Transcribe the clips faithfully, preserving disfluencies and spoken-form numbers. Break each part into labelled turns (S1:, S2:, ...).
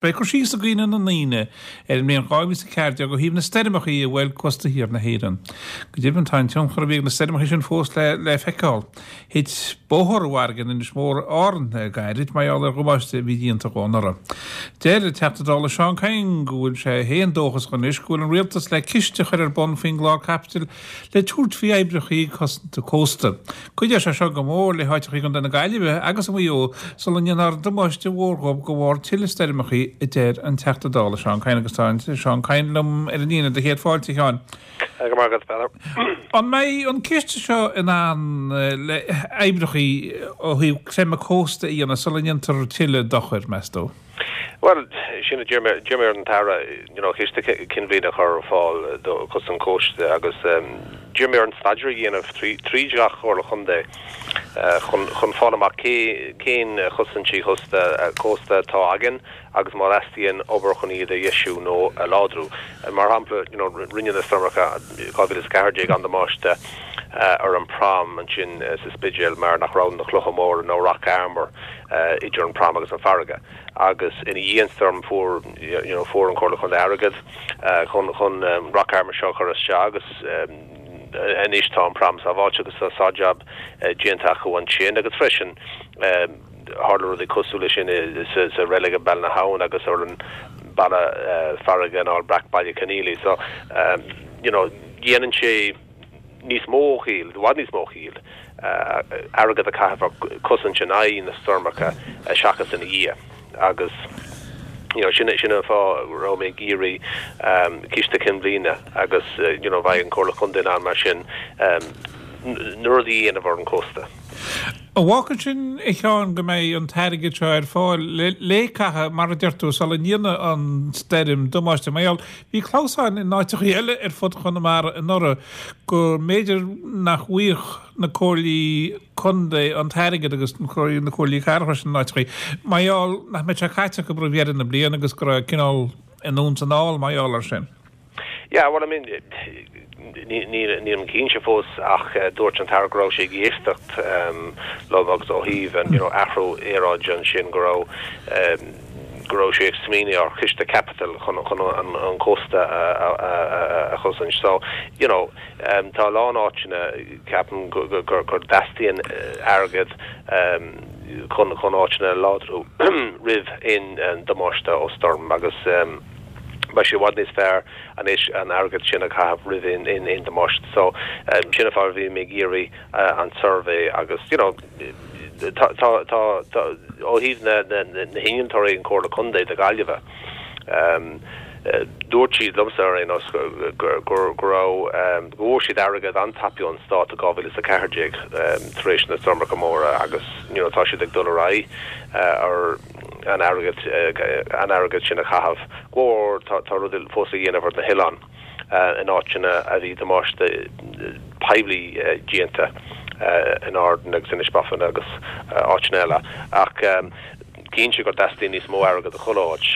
S1: Beidh cur síos againn ar an Aoine ar an mbliain dhá mhíle is a ceathair déag ó thaobh na stoirmeacha a bhuail cósta thiar na hÉireann. Go deimhin, tá an tionchar a bhí ag na stoirmeacha sin fós le le feiceáil. Thit bóthar i bhfarraige in Inis Mór, Árann, le gairid mar gheall ar dhamáiste a bhí déanta dhó anuraidh. Deir an Teachta Dála Seán Kyne go bhfuil sé féin dóchasach anois go bhfuil an Rialtas le ciste a chur ar bun faoin gclár caipitil le tabhairt faoi oibreacha cosanta cósta. Cuideoidh sé seo go mór le háiteacha i gContae na Gaillimhe agus i Maigh Eo sula ndéanfar damáiste mhór dhóibh de bharr tuilleadh stoirmeacha, a deir an Teachta Dála Seán Kyne agus tá an Seán Kyne liom ar an líne. Do chéad fáilte, a Sheáin.
S2: Go raibh maith agat, Peadar.
S1: An mbeidh an ciste seo in ann le oibreacha ó thaobh creimeadh cósta a dhéanamh sula ndéantar tuilleadh dochair, meas tú?
S2: Bhuel, sin a d'iarr mé, d'iarr mé ar an tAire, you know, ciste cinnbhliana a chur ar fáil do chosaint cósta agus d'iarr mé air an staidéar a dhéanamh trí, tríd gach comhairle chontae chun, chun fáil amach cé, cén chosaintí chósta, cósta atá againn agus má theastaíonn obair chun iad a dheisiú nó a láidriú. Mar shampla, you know, rinne na stoirmeacha dhá mhíle is a ceathair déag an-damáiste ar an prom ansin sa Spidéal mar nach raibh na clocha móra nó rock armour idir an prom agus an farraige. Agus ina dhiaidh an stoirm fuair you know fuair an Comhairle Chontae airgead chun chun rock armour seo a chur isteach agus anois tá an prom sábháilte agus tá sár jab déanta acu ansin agus freisin tharla rudaí cosúil leis sin sa sa reilig i Bealach na hAbhann agus ar an balla farraige in Aill Breac Baile Conaola so you know dhéanann sé níos mó ciall, i bhfad níos mó ciall, airgead a chaitheamh ar cosaint in aghaidh na stoirmeacha seachas ina dhiaidh agus you know sin sin an fáth a raibh mé ag iarraidh ciste cinnbhliana agus you know bheadh an Comhairle Contae in ann mar sin na rudaí a dhéanamh ar an cósta.
S1: An bhfágann sin, a Sheáin, go mbeidh an t-airgead seo ar fáil le caitheamh, mar a deir tú, sula ndéanfaidh an stoirm damáiste? Mar gheall, bhí clamhsáin in áiteachaí eile ar fud Chonamara anuraidh go mb'fhéidir nach bhfaigheadh na comhairlí contae an t-airgead agus na comhairlí cathrach freisin in áiteachaí mar gheall nach mbeadh sé caite acu roimh dheireadh na bliana agus go raibh cineál anonn is anall mar gheall air sin.
S2: Yeah, well, I mean, nílim cinnte fós ach dúirt an tAire go raibh sé ag éisteacht liom agus ó thaobh an, you know, athrú aeráide ansin go raibh go raibh sé ag smaoineamh ar chiste caipitil chun chun an an cósta a a a chosaint. So, you know, tá a lán áiteanna ceapaim go go gur dteastaíonn airgead chun chun áiteanna a láidriú roimh aon damáiste ó stoirm agus beidh sé i bhfad níos fearr anois an airgead sin a chaitheamh roimh aon aon damáiste. So sin an fáth a bhí mé ag iarraidh an suirbhé agus you know tá tá tá tá ó thaobh na na na hinnealtóirí an Comhairle Contae do Gaillimhe dúirt siad liomsa ar aon nós go go go raibh go bhfuair siad airgead an-tapaidh ón stát i dhá mhíle is a ceathair déag tar éis na stoirmeacha móra agus you know tá siad ag dul ar aghaidh ar an airgead an airgead sin a chaitheamh. Go mór tá tá rudaí fós a dhéanamh ar na hoileáin in áiteanna a bhí damáiste poiblí déanta in Árainn agus Inis Bofin agus áiteanna eile ach cinnte go dteastaíonn níos mó airgead i chuile áit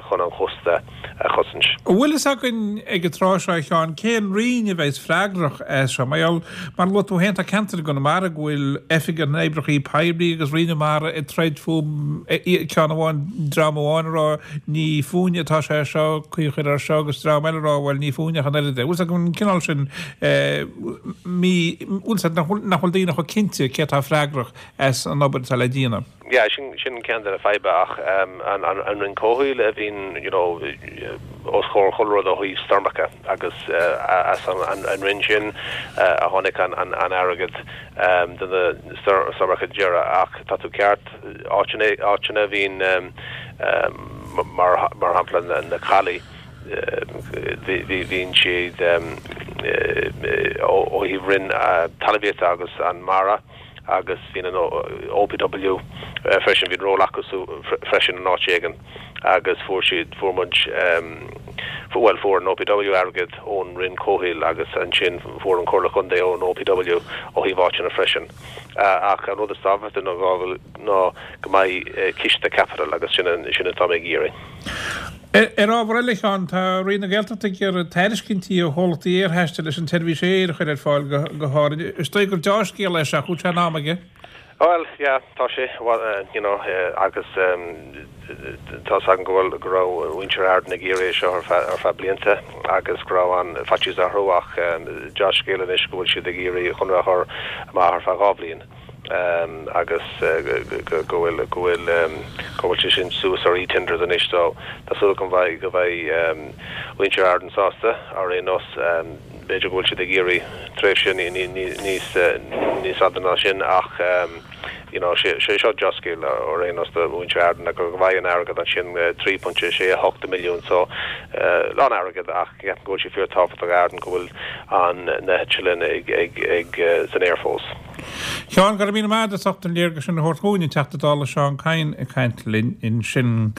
S2: chun an chósta a chosaint.
S1: An bhfuil fhios againn ag an tráth seo, a Sheáin, cén roinn a bheas freagrach as seo? Mar gheall, mar a luaigh tú féin, tá ceantair i gConamara go bhfuil Oifig na nOibreacha Poiblí agus Roinn na Mara ag troid fúm, ceann amháin, dream amháin ag rá ní fúinne atá sé seo, caoi a chur air seo agus dream eile ag rá bhuel ní fúinne ach an oiread é. Bhfuil fhios agam an cineál sin mí, bhfuil fhios agat nach bhfuil daoine chomh cinnte cé atá freagrach as an obair atá le déanamh.
S2: Yeah, sin sin ceann de na fadhba ach an an an Roinn Comhshaoil a bhíonn you know os comhair chuile rud ó thaobh stoirmeacha agus as an an an roinn sin a tháinig an an an airgead do na stoirmeacha deireadh ach tá tú ceart áiteanna áiteanna a bhíonn mar mar shampla na na calaí bhí bhí bhíonn siad ó ó thaobh Roinn Talmhaíochta agus an Mara agus bhí an O P W freisin, bhí an ról acu freisin in áit éigin agus fuair siad, fuair muid, bhuel fuair an O P W airgead ón Roinn Comhshaoil agus ansin fuair an Comhairle Contae ón O P W ó thaobh áiteanna freisin. Ach an rud is tábhachtaí ná ná go mbeidh ciste caipitil agus sin sin atá mé ag iarraidh.
S1: Ar ábhar eile, a Sheáin, tá Roinn na Gaeltachta ag iarraidh tairiscintí ó chomhlachtaí aerthaistil leis an tseirbhís aeir a chur ar fáil go hÁrainn. Is dóigh gur deá-scéal é seo, ach bhfuil sé in am aige?
S2: Well, yeah, tá sé well, uh, you know, uh, agus um, tá an go bhfuil go raibh muintir Ardan ag iarraidh seo ar feadh ar feadh blianta agus go raibh an faitíos orthu ach um, dea-scéal anois go bhfuil siad ag iarraidh chun chur amach ar feadh dhá bhliain. Um, agus uh, go bhfuil go bhfuil um, go bhfuil sé sin suas ar eTenders anois so tá súil go mbeidh go mbeidh um, muintir Ardan sásta ar aon nós um, b'fhéidir go bhfuil siad ag iarraidh tréimhse níos níos fada ná sin ach um, you know sé sé seo dea-scéal ar aon nós do mhuintir Ardan go bhfuil an airgead ansin trí pointe sé hocht milliún so uh, lán airgead ach go bhfuil sé fíorthábhachtach Ardan go bhfuil an na heitleáin ag ag ag uh, san aer fós.
S1: Seán go raibh míle maith agat as an léargas sin a thabhairt dúinn an Teachta Dála Seán Kyne ag caint linn ansin.